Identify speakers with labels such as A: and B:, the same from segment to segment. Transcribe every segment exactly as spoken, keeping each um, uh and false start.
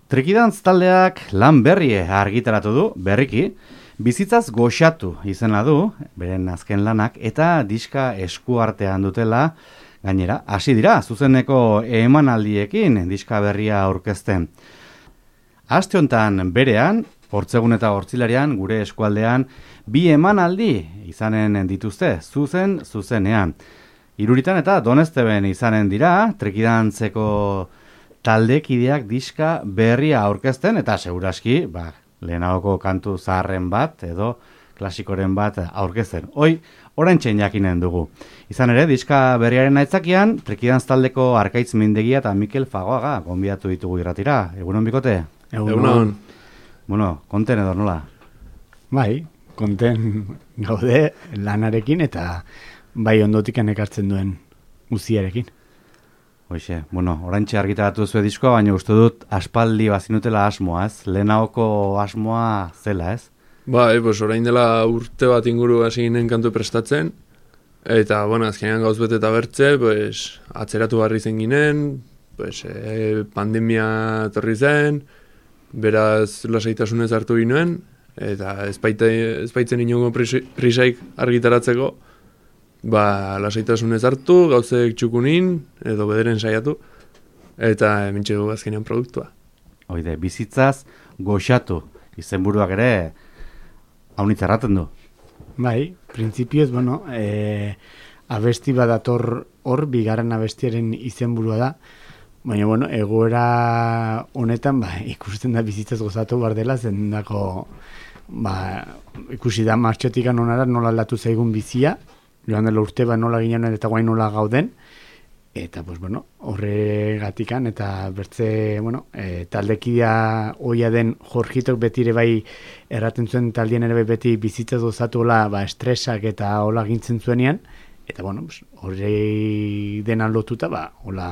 A: Trikidantz taldeak lan berrie argitaratu du, berriki, bizitzaz goxatu izena du, beren azken lanak, eta diska eskuartean dutela, gainera, hasi dira, zuzeneko emanaldiekin diska berria aurkezten. Aste hontan berean, Hortzegun eta Hortzilarian, gure eskualdean, bi emanaldi izanen dituzte, zuzen, zuzenean. Iruritan eta Donesteben izanen dira, Trikidantzeko taldekideak diska berria aurkezten, eta seguraski, ba, lehenagoko kantu zaharren bat, edo klasikoren bat aurkezten. Hoi, oraintxe jakinen dugu. Izan ere, diska berriaren aitzakian, Trikidantz taldeko Arkaitz Mindegia eta Mikel Fagoaga gonbidatu ditugu irratira. Egunon, bikote?
B: Egunon.
A: Bueno, konten edo nola?
B: Bai, konten gaude lanarekin eta bai ondotikan ekartzen duen uziarekin.
A: Hoxe, bueno, oraintxe argitaratu zuen diskoa, baina uste dut aspaldi bazinutela asmoa, ez? Lehenagoko asmoa zela, ez?
C: Bai, pues orain dela urte bat inguru hasi ginen kantu prestatzen, eta, bueno, azkenean gauz bete eta bertze, pues, atzeratu barri zen ginen, pues, e, pandemia torri zen, beraz lasaitasunez hartu ginoen, eta ezbaitzen inongo prisaik argitaratzeko, ba, lasaitasunez hartu, gauzek txukunin, edo bederen saiatu, eta mintxe dugu azkenean produktua.
A: Oide, bizitzaz goxatu, izenburuak ere haunitz erraten du.
B: Bai, printzipioz, bueno, e, abesti badator hor, bigarren abestiaren izenburua da, baina, bueno, egoera honetan, ba, ikusten da bizitzaz gozatu bar dela, zendako, ba, ikusi da martxotikan onara nola aldatu zaigun bizia, joan dela urte ba nola ginen eta guain nola gauden, eta, pues, bueno, horregatikan, eta bertze, bueno, e, taldekidea oia den Jorgitok betire bai erraten zuen taldien ere bai beti bizitzaz gozatu hola, ba, estresak eta hola gintzen zuenean, eta, bueno, pues, horre dena lotuta, ba, hola,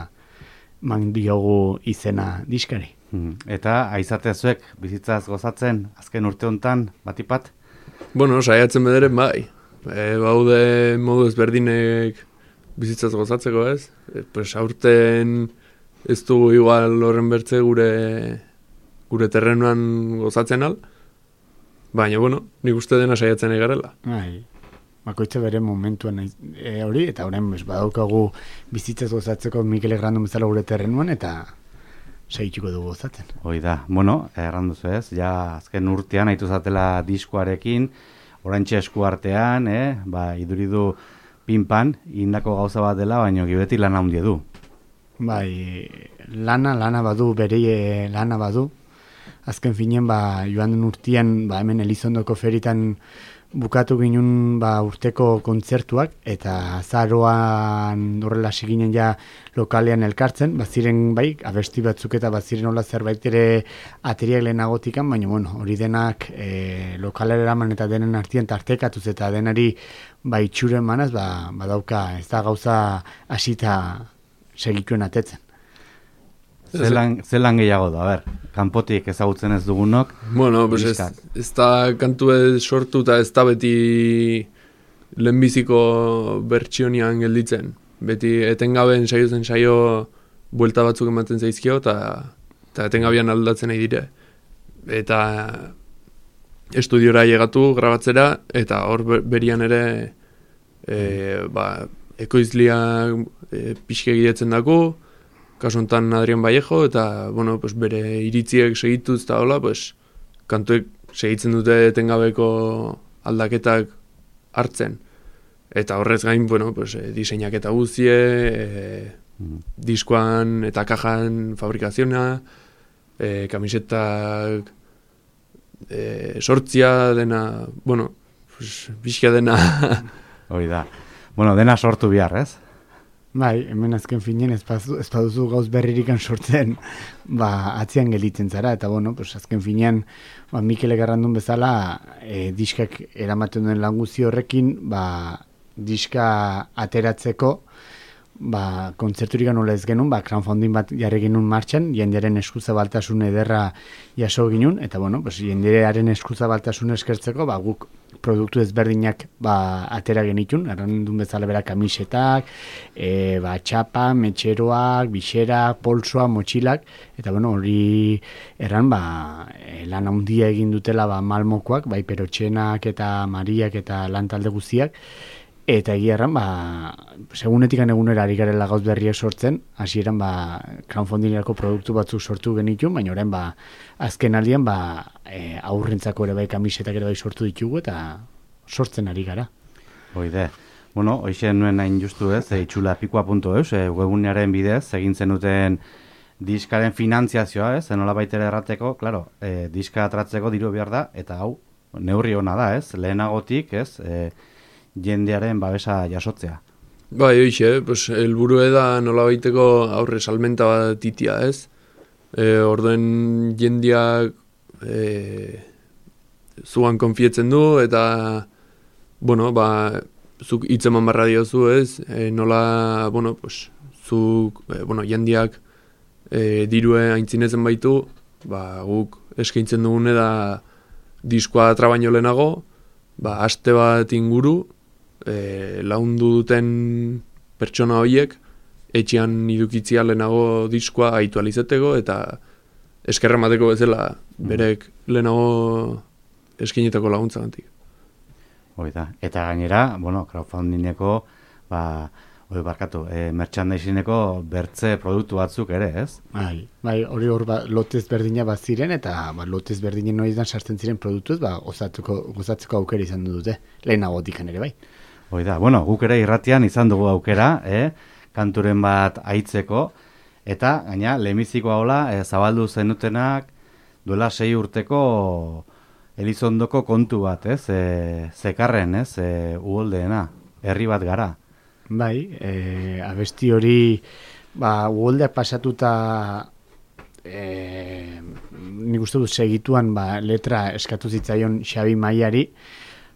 B: man diogu izena diskari.
A: Hmm. Eta aizatezuek bizitzaz gozatzen azken urte hontan batipat?
C: Bueno, saiatzen bederen bai. E, baude modu ezberdinek bizitzaz gozatzeko, ez? E, pues aurten ez dugu igual horren bertze gure gure terrenuan gozatzen al, baina, bueno, nik uste dena saiatzen egarela.
B: Bai. Bakoitza bere momentuan e, hori, eta horren badaukagu bizitzaz gozatzeko Mikel Egrandun bezala gure terrenuan, eta segituko dugu gozatzen.
A: Hoi da, bueno, erranduzu ez, ja azken urtean haitu zatela diskoarekin, oraintxe eskuartean, eh? Ba, iduridu pinpan, indako gauza bat dela, baina gibeti lana handia du.
B: Bai, lana, lana badu, bere lana badu. Azken finen, ba, joan den urtean, ba, hemen Elizondoko feritan bukatu ginen ba, urteko kontzertuak, eta azaroan horrela ginen ja lokalean elkartzen, baziren bai, abesti batzuk eta baziren hola zerbait ere ateriak lehenagotikan, baina bueno, hori denak e, lokalera eraman eta denen artien tartekatuz eta denari ba, itxuren manaz, ba, badauka ez da gauza hasita segituen atetzen.
A: Zelan, zelan gehiago da, a ber, kanpotik ezagutzen ez dugunok.
C: Bueno, pues ez, ez da kantu ez sortu eta ez da beti lehenbiziko bertsionian gelditzen. Beti etengaben saio zen saio buelta batzuk ematen zaizkio eta, eta etengabean aldatzen nahi dire. Eta estudiora llegatu grabatzera eta hor berian ere e, ba, ekoizliak e, pixke gidetzen dago, kasu honetan Adrian Vallejo, eta, bueno, pues, bere iritziek segituz eta hola, pues, kantuek segitzen dute etengabeko aldaketak hartzen. Eta horrez gain, bueno, pues, e, diseinak eta guzie, e, mm. diskoan eta kajan fabrikaziona, e, kamisetak e, sortzia dena, bueno, pues, bizka dena.
A: Hori da. Bueno, dena sortu bihar, ez?
B: Bai, hemen azken finen ez baduzu gauz berririkan sortzen, ba, atzian gelditzen zara, eta bueno, pues azken finean, ba, Mikel Egarrandun bezala, e, diskak eramaten duen lan guzti horrekin, ba, diska ateratzeko, ba, kontzerturik nola ez genuen, ba, crowdfunding bat jarri genuen martxan, jendearen eskuzabaltasun ederra jaso ginen, eta bueno, pues, jendearen eskuzabaltasun eskertzeko, ba, guk produktu ezberdinak ba, atera genitun, errandun bezala bera kamisetak, e, ba, txapa, metxeroak, bixerak, polsoa, motxilak, eta bueno, hori erran, ba, e, lan handia egin dutela ba, malmokoak, bai perotxenak eta mariak eta lan talde guztiak, eta egia erran, ba, segunetikan egunera ari garela gauz berriak sortzen, hasieran ba, crowdfundingerako produktu batzuk sortu genitun, baina orain ba, azken aldian ba, e, aurrentzako ere bai kamisetak ere bai sortu ditugu eta sortzen ari gara.
A: Hoide. Bueno, hoxe nuen hain justu ez, e, itxulapikoa puntu eus, e, webunearen bidez, egin zenuten diskaren finantziazioa ez, enola baitere errateko, klaro, e, diska atratzeko diru behar da, eta hau, neurri hona da ez, lehenagotik ez, e, jendearen babesa jasotzea.
C: Bai, hoxe, pues, helburu da nola baiteko aurre salmenta bat titia, ez? E, orduen jendeak e, zuan konfietzen du, eta, bueno, ba, zuk hitzeman barra diozu, ez? E, nola, bueno, pues, zuk, e, bueno, jendeak e, dirue aintzinezen baitu, ba, guk eskaintzen dugune da diskoa trabaino lehenago, ba, aste bat inguru, E, laundu duten pertsona horiek etxean idukitzia lehenago diskoa aitu alizeteko eta eskerra mateko bezala berek lehenago eskinetako laguntza gantik.
A: Hoida. Eta gainera, bueno, crowdfundingeko ba, hori barkatu, e, merchandisingeko bertze produktu batzuk ere, ez?
B: Bai, bai, hori hor ba, lotez berdina bat ziren, eta ba, lotez berdinen noidan sartzen ziren produktuz, ba, gozatzeko, gozatzeko aukera izan dute, lehenagotik ere bai.
A: Hoida, bueno, guk ere irratian izan dugu aukera, eh? Kanturen bat aitzeko, eta gaina, lehenbiziko hola, e, zabaldu zenutenak duela sei urteko Elizondoko kontu bat, ez? E, zekarren, ez? E, uholdeena, herri bat gara.
B: Bai, e, abesti hori, ba, uholdeak pasatuta, e, nik uste dut segituan, ba, letra eskatu zitzaion Xabi Maiari,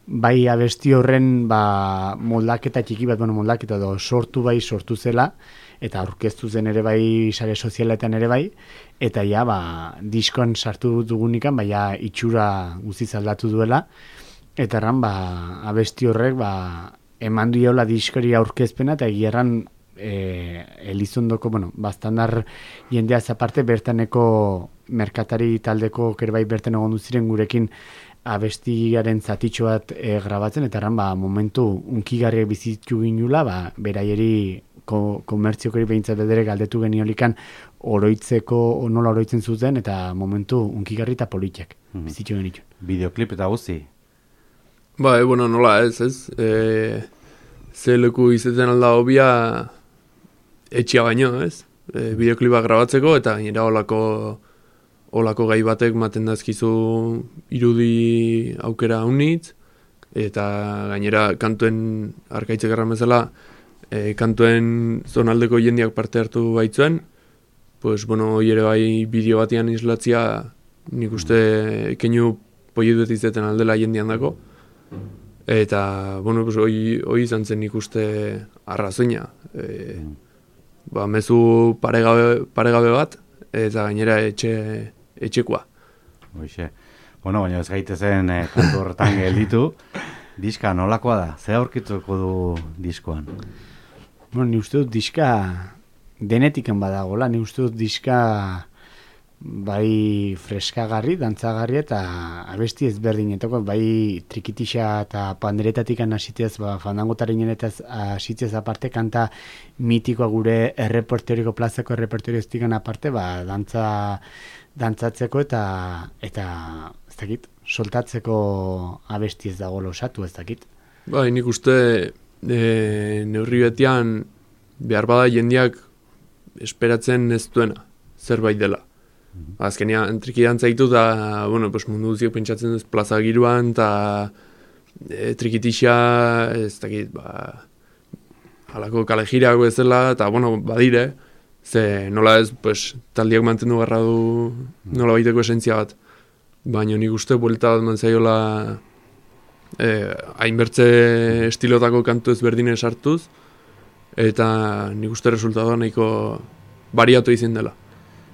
B: bai abesti horren ba, moldaketa txiki bat, bueno, moldaketa do, sortu bai, sortu zela, eta aurkeztu zen ere bai, sare sozialetan ere bai, eta ja, ba, diskoan sartu dugunikan, bai, ja, itxura guztiz aldatu duela, eta erran, ba, abesti horrek, ba, eman duela diskori aurkezpena, eta egierran e, Elizondoko, bueno, bastandar jendea aparte bertaneko merkatari taldeko kerbai bertan egon duziren gurekin abestiaren zatitxo bat e, grabatzen, eta erran, ba, momentu unkigarriak bizitu ginula, ba, beraieri ko, komertziokori behintzat bedere galdetu geniolikan oroitzeko, nola oroitzen zuten, eta momentu unkigarri eta politiak mm-hmm. bizitu genitu.
A: Bideoklip eta guzti?
C: Ba, e, bueno, nola ez, ez? E, ze leku izaten alda hobia etxia baino, ez? E, bideoklipa grabatzeko, eta gainera olako olako gai batek maten dazkizu irudi aukera unitz, eta gainera kantuen arkaitzek erran bezala, e, kantuen zonaldeko jendeak parte hartu baitzuen, pues, bueno, hoi ere bai bideo batean islatzia, nik uste keinu poietuet izeten aldela jendean dako, eta, bueno, pues, hoi, hoi izan zen nik uste arrazoina. E, ba, mezu paregabe, paregabe bat, eta gainera etxe etxekoa.
A: Hoxe. Bueno, baina ez gaitezen eh, kantu horretan gelditu. Diska nolakoa da? Ze aurkituko du diskoan?
B: Bueno, ni uste dut diska denetiken badagola. Ni uste dut diska bai freskagarri, dantzagarri eta abesti ezberdinetako, bai trikitixa eta panderetatik hasitez, ba, fandangotaren eta hasitez aparte, kanta mitikoa gure errepertoriko plazako errepertorioestikan aparte, ba, dantza dantzatzeko eta eta ez dakit, soltatzeko abesti ez dago losatu, ez dakit.
C: Bai, nik uste e, neurri betian behar bada jendeak esperatzen ez duena, zerbait dela. Mm-hmm. Azkenean, triki dantza ditu da, bueno, pues mundu guziok pentsatzen duz plaza giruan, eta e, trikitixa, ez dakit, ba, halako kalejirago ez dela, eta, bueno, badire, ze nola ez, pues, taldiak mantendu garra du nola baiteko esentzia bat. Baina nik uste buelta bat mantzaiola eh, hainbertze estilotako kantu ezberdinen sartuz, eta nik uste resultatoa nahiko bariatu izin dela.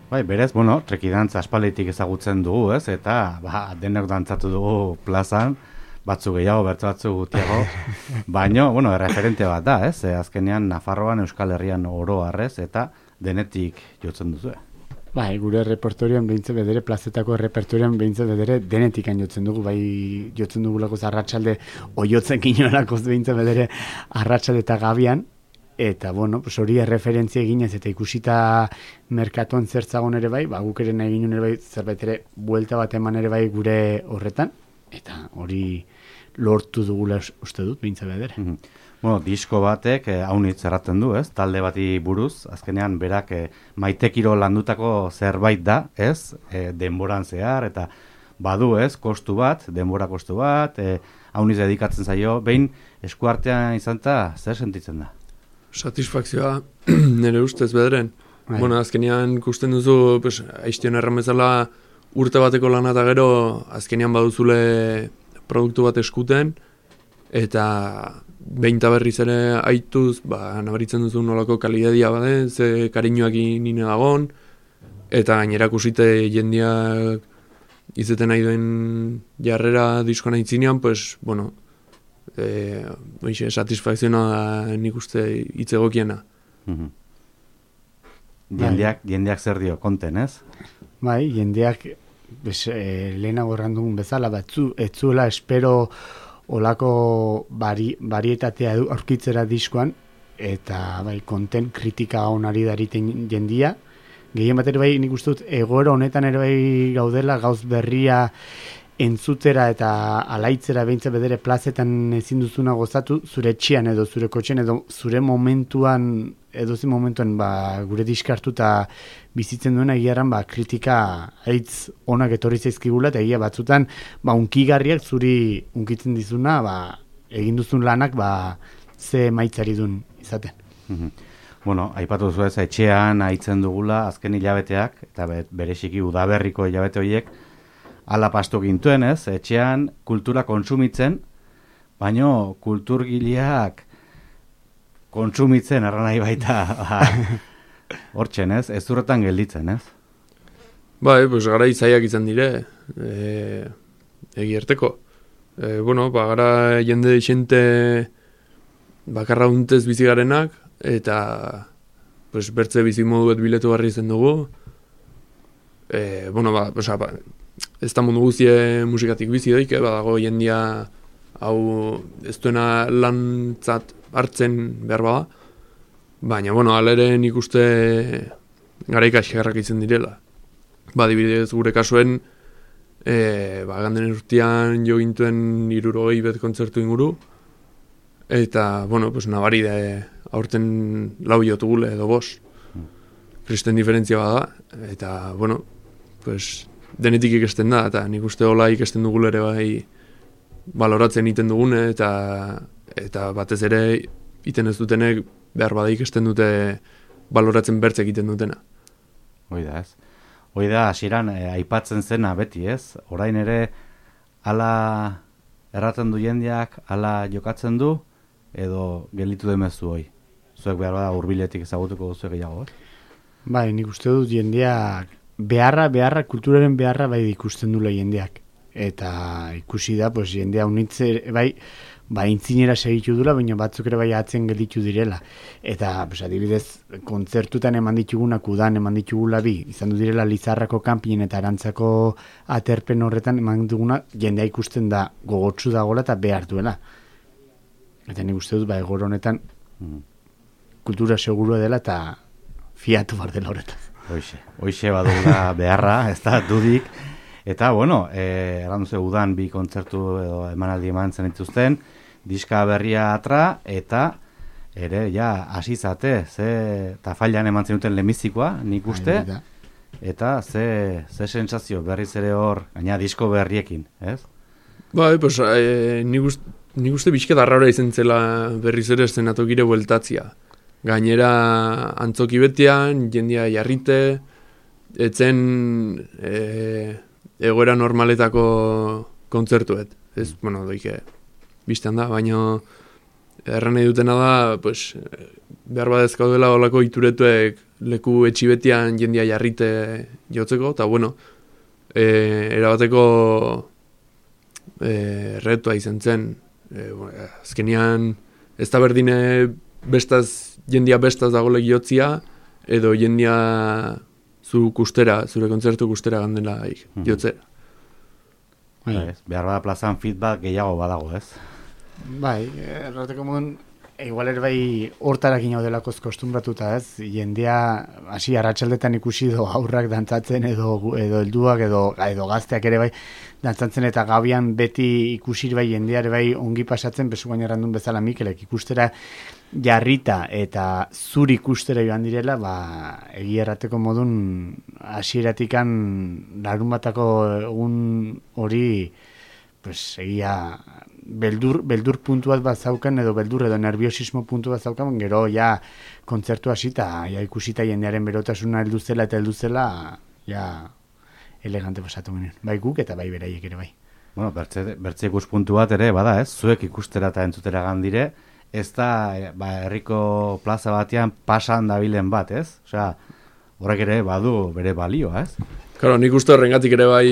A: Bai, berez, bueno, trekidantza aspalditik ezagutzen dugu, ez? Eta, ba, denek dantzatu dugu plazan, batzu gehiago, bertu batzu gutiago, baino, bueno, referente bat da, ez? E, azkenean, Nafarroan, Euskal Herrian oro harrez, eta denetik jotzen duzu.
B: Bai, gure repertorioan behintzen bedere, plazetako repertorioan behintzen bedere, denetikan jotzen dugu, bai jotzen dugulakoz arratsalde, oiotzen kinolakoz behintzen bedere, arratsalde eta gabian, eta, bueno, pues hori erreferentzia eginez eta ikusita merkatuan zertzagon ere bai, ba, guk ere nahi ginen ere bai, zerbait ere, buelta bat eman ere bai gure horretan, eta hori lortu dugula uste dut, behintzen bedere.
A: Mm -hmm. Bueno, disko batek eh, haunitz erraten du, ez? Talde bati buruz, azkenean berak eh, maitekiro landutako zerbait da, ez? E, denboran zehar, eta badu, ez? Kostu bat, denbora kostu bat, eh, haunitz dedikatzen zaio, behin eskuartean izan eta zer sentitzen da?
C: Satisfakzioa nire ustez bederen.
B: Bai.
C: Bueno, azkenean ikusten duzu, pues, aiztion erran bezala urte bateko lana eta gero, azkenean baduzule produktu bat eskuten, eta behin eta berriz ere aituz, ba, nabaritzen duzu nolako kalidadia bade, ze kariñoak nine dagon, eta gainera kusite jendiak izeten nahi duen jarrera diskoan aitzinean, pues, bueno, e, oixe, satisfakziona da nik uste hitz egokiena.
A: Mm-hmm. Jendeak, jendeak zer dio, konten, ez?
B: Bai, jendeak bes, e, lehenago erran dugun bezala, batzu, ez zuela espero olako bari, barietatea aurkitzera diskoan, eta bai, konten kritika onari dariten jendia. Gehien bat ere bai, nik uste dut, egoera honetan ere bai gaudela, gauz berria entzutera eta alaitzera behintzen bedere plazetan ezin duzuna gozatu, zure etxean edo zure kotxen edo zure momentuan, edo zi momentuan ba, gure diskartuta bizitzen duena egiaran ba, kritika haitz onak etorri zaizkigula, eta egia batzutan ba, unkigarriak zuri unkitzen dizuna, ba, egin duzun lanak ba, ze maitzari dun izaten.
A: Mm-hmm. Bueno, aipatu duzu ez, etxean haitzen dugula azken hilabeteak, eta bereziki udaberriko hilabete horiek, ala pastu gintuen ez, etxean kultura kontsumitzen, baino kulturgileak kontsumitzen erran nahi baita hortzen ez, ez zurretan gelditzen ez?
C: Bai, pues gara izaiak izan dire, e, egierteko. E, bueno, ba, gara jende deixente bakarra untez bizigarenak, eta pues, bertze bizimoduet biletu barri zen dugu. E, bueno, ba, oza, ba, ez da mundu guztie musikatik bizi doik, eh, badago jendia hau ez duena lantzat hartzen behar bada. Baina, bueno, alere nik uste gara ikasgarrak izan direla. Ba, dibidez gure kasuen, e, ba, ganden urtean jo gintuen hirurogei bet kontzertu inguru, eta, bueno, pues, nabari da aurten lau jotugule edo bos. Kristen diferentzia bada, eta, bueno, pues, denetik ikesten da, eta nik uste hola ikesten dugule ere bai baloratzen iten dugune, eta, eta batez ere iten ez dutenek behar bada ikesten dute baloratzen bertzek iten dutena.
A: Hoi da ez. Hoi da, hasieran eh, aipatzen zena beti ez, orain ere ala erraten du jendeak, ala jokatzen du, edo gelitu demezu hoi. Zuek behar bada hurbiletik ezagutuko duzu gehiago, eh?
B: Bai, nik uste dut jendeak beharra, beharra, kulturaren beharra bai ikusten dula jendeak. Eta ikusi da, pues, jendea unitze, bai, ba, intzinera segitu dula, baina batzuk ere bai atzen gelditu direla. Eta, pues, adibidez, kontzertutan eman ditugunak, udan eman ditugula bi, izan du direla Lizarrako kanpinen eta Arantzako aterpen horretan eman duguna, jendea ikusten da gogotsu dagoela eta behar duela. Eta nik uste dut, ba, egor honetan kultura segurua dela eta fiatu bar dela horretan.
A: Hoixe, hoixe badula beharra, ez da dudik. Eta, bueno, eh, errandu ze udan bi kontzertu edo emanaldi eman zen dituzten, diska berria atra, eta ere, ja, asizate, ze tafailan eman zen duten lemizikoa, nik uste, eta ze, ze sensazio berriz ere hor, gaina disko berriekin, ez?
C: Bai, pues, eh, nik uste, nik uste bizke darraura izan zela berriz ere eszenatokire bueltatzia. Gainera antzoki betean, jendia jarrite, etzen e, egoera normaletako kontzertuet. Ez, bueno, doike, biztan da, baina Erran nahi dutena da, pues, behar badezkaudela olako ituretuek leku etxibetian jendia jarrite jotzeko, eta bueno, e, erabateko e, retua izan zen. E, bueno, azkenian, ez da berdine bestaz, jendia bestaz dagolek jotzia, edo jendia zu kustera, zure kontzertu kustera gandela mm-hmm. jotzera.
A: Bai, behar bada plazan feedback gehiago badago, ez?
B: Bai, errateko modun, igual ere bai hortarakin hau delakoz kostumbratuta, ez? Jendea, hasi arratsaldetan ikusi do aurrak dantzatzen edo edo helduak edo edo gazteak ere bai dantzatzen eta gabian beti ikusi bai jendeare bai ongi pasatzen, bezu gaina errandun bezala Mikelek ikustera jarrita eta zuri ikustera joan direla, ba, egia errateko modun hasieratikan larunbatako egun hori pues egia beldur, beldur puntu bat bat zaukan, edo beldur edo nerviosismo puntu bat zaukan, gero ja kontzertu hasita, ja ikusita jendearen berotasuna heldu zela eta heldu zela, ja elegante pasatu ginen. Bai guk eta bai beraiek ere bai.
A: Bueno, bertze, bertze ikuspuntu bat ere, bada ez, zuek ikustera eta entzutera gandire, ez da, ba, herriko plaza batean pasan dabilen bat, ez? Osea, horrek ere badu bere balioa, ez?
C: Claro, nik uste horrengatik ere bai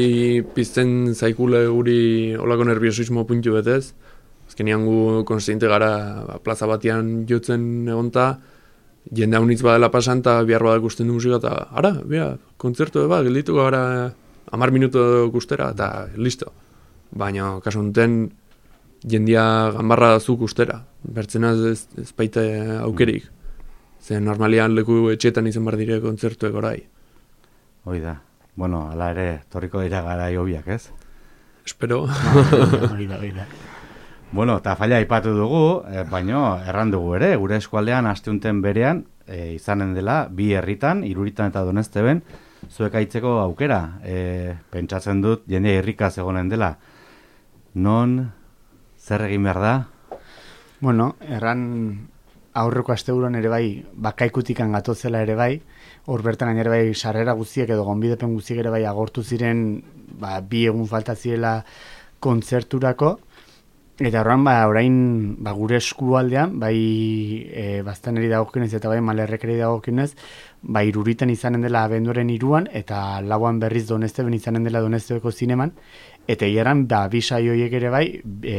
C: pizten zaikule guri olako nerviosismo puntu betez. Azkenean gu konstiente gara ba, plaza batean jotzen egonta, jende haunitz badela pasan eta bihar badak usten du musika eta ara, bia, kontzertu eba, geldituko gara hamar minutu gustera eta listo. Baina, kasu honetan, jendia ganbarra zuk ustera. Bertzenaz ez, ez baita aukerik. Zer normalian leku etxetan izan bar dire kontzertuek orai.
A: Hoi da. Bueno, ala ere, torriko dira gara hobiak, ez?
C: Espero.
B: Hori da, hori da.
A: Bueno, eta falla aipatu dugu, eh, baino erran dugu ere, gure eskualdean asteunten berean, eh, izanen dela, bi herritan, Iruritan eta Donezteben, zuek aitzeko aukera. Eh, pentsatzen dut, jende irrikaz egonen dela. Non, zer egin behar da?
B: Bueno, erran aurreko asteburuan ere bai, bakaikutikan gatozela ere bai, hor bertan gainera bai sarrera guztiak edo gonbidepen guztiak ere bai agortu ziren, ba, bi egun falta zirela kontzerturako, eta horren ba, orain ba, gure eskualdean, bai e, Baztaneri dagokionez eta bai Malerrekeri dagokionez, ba, Iruritan izanen dela abenduaren iruan, eta lauan berriz Donezteben izanen dela Doneztebeko zineman, eta hieran da bi saioiek ere bai, e,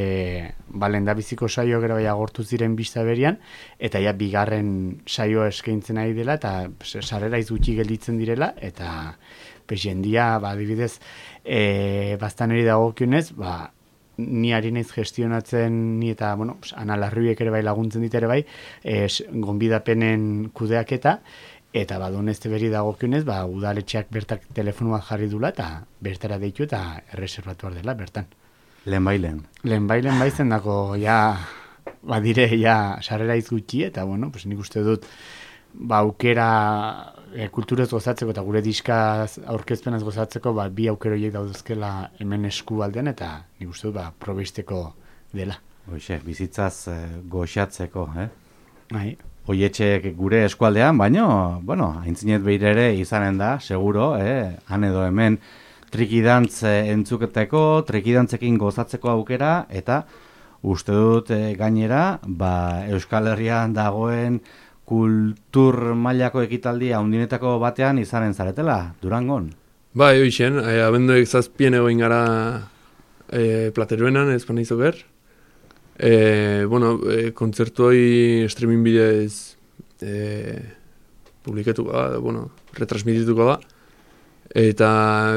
B: ba, lehendabiziko saioak ere bai agortu ziren bista berian, eta ja bigarren saioa eskaintzen ari dela, eta sarrera izgutxi gelditzen direla, eta pues, jendia, ba, adibidez, e, Baztaneri dagokionez, ba, ni ari naiz gestionatzen, ni eta, bueno, pues, Ana Larruiek ere bai laguntzen dit ere bai, e, gonbidapenen kudeaketa, eta ba, Donezteberi dagokionez, ba, udaletxeak bertak telefono bat jarri dula, eta bertara deitu eta erreserbatu behar dela, bertan.
A: Lehen bailen.
B: Lehen bailen baizen dako, ja, ba, dire, ja, sarrera izgutxi, eta, bueno, pues, nik uste dut, ba, aukera e, kulturez gozatzeko, eta gure diska aurkezpenaz gozatzeko, ba, bi aukero horiek dauduzkela hemen eskualdean, eta nik uste dut, ba, probisteko dela.
A: Hoxe, bizitzaz eh, goxatzeko, eh?
B: Bai.
A: Oietxek gure eskualdean, baino, bueno, haintzinet behir ere izanen da, seguro, eh? Han edo hemen trikidantz entzuketeko, trikidantzekin gozatzeko aukera, eta uste dut eh, gainera, ba, Euskal Herrian dagoen kultur mailako ekitaldi handinetako batean izanen zaretela, Durangon.
C: Bai, hoixen, eh, abenduek zazpien egoin gara eh, Plateruenan, ezpan izoker. E, bueno, e, kontzertu hori streaming bidez e, publikatuko da, bueno, retransmitituko da. Eta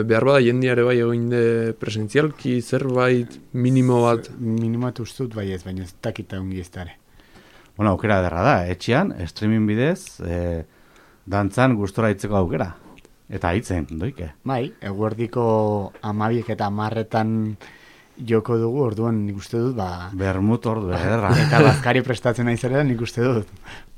C: behar bada jendiare bai egin de presentzialki zerbait minimo bat.
B: Minimo bat ustut bai ez, baina ez dakita ongi ez dara.
A: Bueno, aukera derra da, etxean, streaming bidez, e, dantzan gustora hitzeko aukera. Eta hitzen, doike.
B: Bai, eguerdiko amabiek eta amarretan joko dugu, orduan nik uste dut, ba...
A: Bermut ordu, ederra.
B: Eta bazkari prestatzen nahi zera, nik uste dut,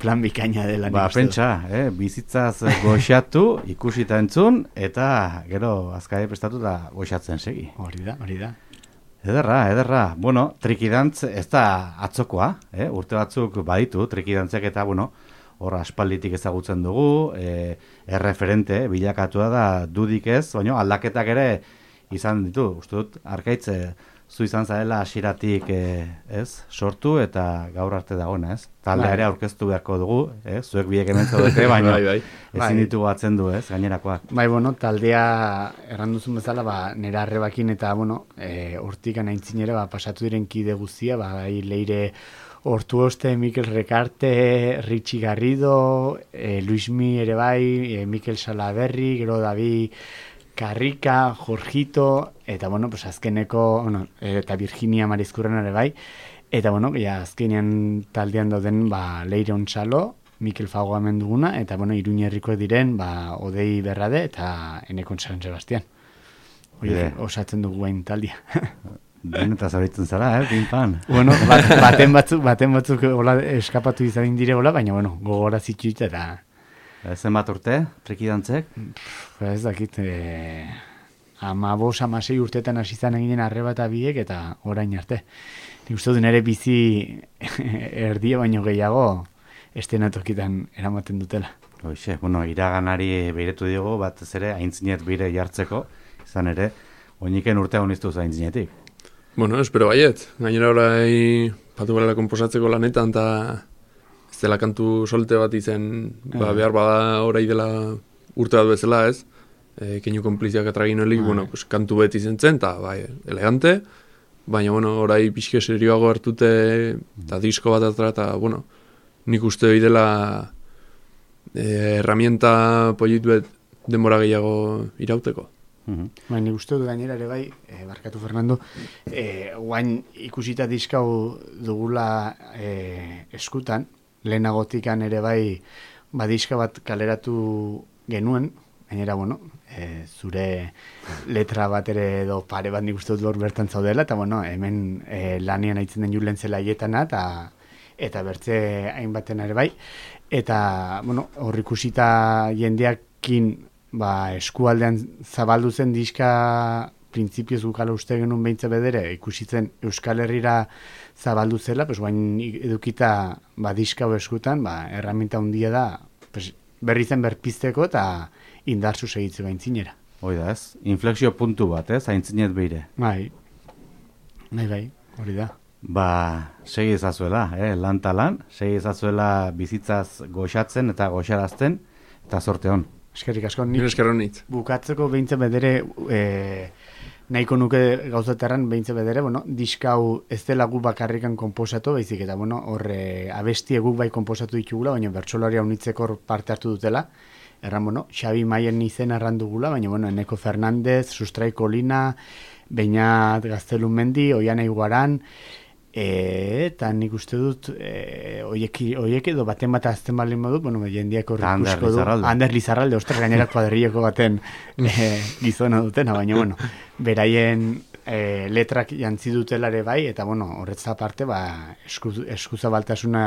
B: plan bikaina dela.
A: Ba, pentsa, eh, bizitzaz goxatu, ikusita entzun, eta gero azkari prestatu da goxatzen segi.
B: Hori da, hori da.
A: Ederra, ederra. Bueno, trikidantz ez da atzokoa, eh? Urte batzuk baditu, trikidantzek eta, bueno, hor aspalditik ezagutzen dugu, eh, erreferente, bilakatua da dudik ez, baina aldaketak ere izan ditu, uste dut, Arkaitz, zu izan zarela hasieratik eh, ez, sortu eta gaur arte dagoena, ez? Talde ere aurkeztu beharko dugu, eh? Zuek biek hemen zaudete, baina
C: bai, bai.
A: ezin ditugu atzen du, ez, gainerakoak.
B: Bai, bueno, taldea erranduzun bezala, ba, nera arrebakin eta, bueno, e, hortik anaintzinera, ba, pasatu diren kide guztia, ba, bai, Leire Ortuoste, Mikel Rekarte, Richie Garrido, e, Luismi ere bai, e, Mikel Salaberri, gero Davi Karrika, Jorgito, eta, bueno, pues azkeneko, bueno, eta Virginia Marizkurren ere bai, eta, bueno, ja, azkenean taldean dauden, ba, Leire Ontsalo, Mikel Fago hemen duguna, eta, bueno, Iruñerrikoek diren, ba, Odei Berrade, eta Enekon San Sebastian. Oie, osatzen dugu bain taldia.
A: Den eta zauritzen zara, eh, pinpan.
B: Bueno, bat, baten batzuk, baten batzuk hola, eskapatu izan dire hola, baina, bueno, gogora zitsuit eta...
A: Zenbat urte, trikidantzek?
B: Ez dakit, e, ama bos, ama sei urtetan hasi zan eginen arreba eta biek, eta orain arte. Nik uste du nire bizi erdia baino gehiago estenatokitan eramaten dutela.
A: Hoxe, bueno, iraganari behiretu diogu, bat ez ere, aintzinet bire jartzeko, izan ere, oiniken urtea honiztu aintzinetik.
C: Bueno, espero baiet. Gainera orai patu gara komposatzeko lanetan, eta ez dela kantu solte bat izen, ba, behar bada orai dela urte bat bezala, ez? E, keinu konpliziak atragin helik, bueno, pues, kantu beti izen zen, eta bai, elegante, baina, bueno, orai pixke serioago hartute, eta disko bat atra, eta, bueno, nik uste bidela e, herramienta polituet denbora gehiago irauteko.
B: Uh-huh. Ba, nik uste dut gainera ere bai, e, barkatu Fernando, e, guain ikusita diskau dugula e, eskutan, lehenagotikan ere bai badiska bat kaleratu genuen, gainera, bueno, e, zure letra bat ere edo pare bat nik uste dut hor bertan zaudela, eta bueno, hemen e, lanian aitzen den julen zela hietana, eta, eta bertze hainbaten ere bai, eta, bueno, hor ikusita jendeakin ba, eskualdean zabaldu zen diska printzipioz gukala uste genuen behintza bedere, ikusitzen Euskal Herrira zabaldu zela, pues, bain edukita ba, diska eskutan, ba, erraminta handia da, pues, berri zen berpizteko eta indarzu segitzeko aintzinera.
A: Hoi da ez, inflexio puntu bat, ez, aintzinet beire.
B: Bai, bai, bai, hori da.
A: Ba, segi ezazuela, eh, lan talan, segi ezazuela bizitzaz goxatzen eta goxarazten, eta zorte hon.
B: Eskerrik asko,
C: nik nik
B: bukatzeko behintzen bedere, e, nahiko nuke gauzaterran behintzen bedere, bueno, diska hau ez dela gu bakarrikan konposatu, baizik eta, bueno, horre abestie guk bai konposatu ditugula, baina bertsolaria unitzeko parte hartu dutela. Erran, bueno, Xabi Maien izen erran dugula, baina, bueno, Eneko Fernandez, Sustrai Kolina, Beñat Gaztelumendi, Oiana Iguaran, E, eta nik uste dut e, oiek, oiek edo baten bat azten balin modut, bueno, jendiak horrik usko du. Ander Lizarralde, ostras, gainera kuadrilleko baten e, gizona dutena, baina, bueno, beraien e, letrak jantzi dutelare bai, eta, bueno, horretza aparte, ba, eskuzabaltasuna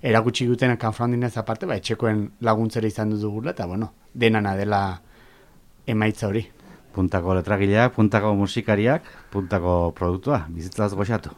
B: erakutsi duten kanfrandinez aparte, ba, etxekoen laguntzera izan dugula, eta, bueno, denana dela emaitza hori.
A: Puntako letragileak, puntako musikariak, puntako produktua, bizitzaz goxatu.